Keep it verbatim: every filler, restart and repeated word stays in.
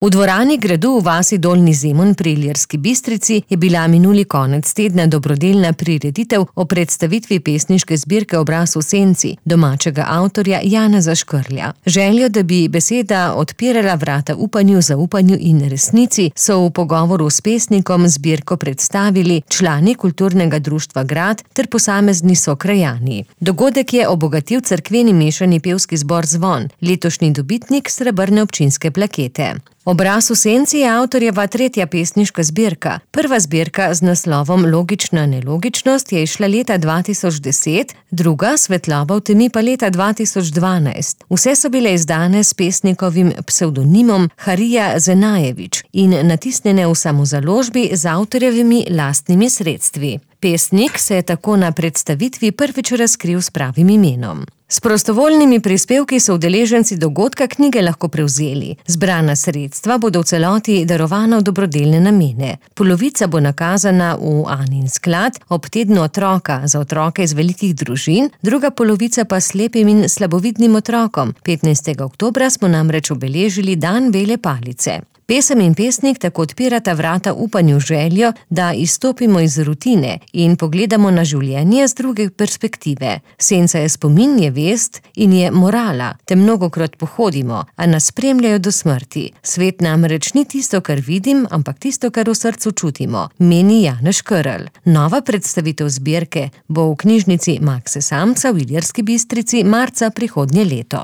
V dvorani gradu v vasi Dolnji Zemun pri Ilirski Bistrici je bila minuli konec tedna dobrodelna prireditev o predstavitvi pesniške zbirke Obraz v senci domačega avtorja Janeza Škrlja. Željo, da bi beseda odpirala vrata upanju, zaupanju in resnici, so v pogovoru s pesnikom zbirko predstavili člani kulturnega društva Grad ter posamezni sokrajani. Dogodek je obogatil cerkveni mešani pevski zbor Zvon, letošnji dobitnik srebrne občinske plakete. Obraz v senci je avtorjeva tretja pesniška zbirka. Prva zbirka z naslovom Logična nelogičnost je izšla leta dva tisoč deset, druga Svetloba v temi pa leta dva tisoč dvanajst. Vse so bile izdane s pesnikovim psevdonimom Harija Zenajevič in natisnjene v samozaložbi z avtorjevimi lastnimi sredstvi. Pesnik se je tako na predstavitvi prvič razkril s pravim imenom. S prostovoljnimi prispevki so udeleženci dogodka knjige lahko prevzeli. Zbrana sredstva bodo v celoti darovana v dobrodelne namene. Polovica bo nakazana v Anin sklad ob tednu otroka za otroke iz velikih družin, druga polovica pa slepim in slabovidnim otrokom. petnajstega oktobra smo namreč obeležili dan bele palice. Pesem in pesnik tako odpirata vrata upanju, željo, da izstopimo iz rutine in pogledamo na življenje z druge perspektive. Senca je spomin, je vest in je morala, te mnogokrat pohodimo, a nas spremljajo do smrti. Svet namreč ni tisto, kar vidim, ampak tisto, kar v srcu čutimo, meni Janez Škrlj. Nova predstavitev zbirke bo v knjižnici Makse Samca v Ilirski Bistrici marca prihodnje leto.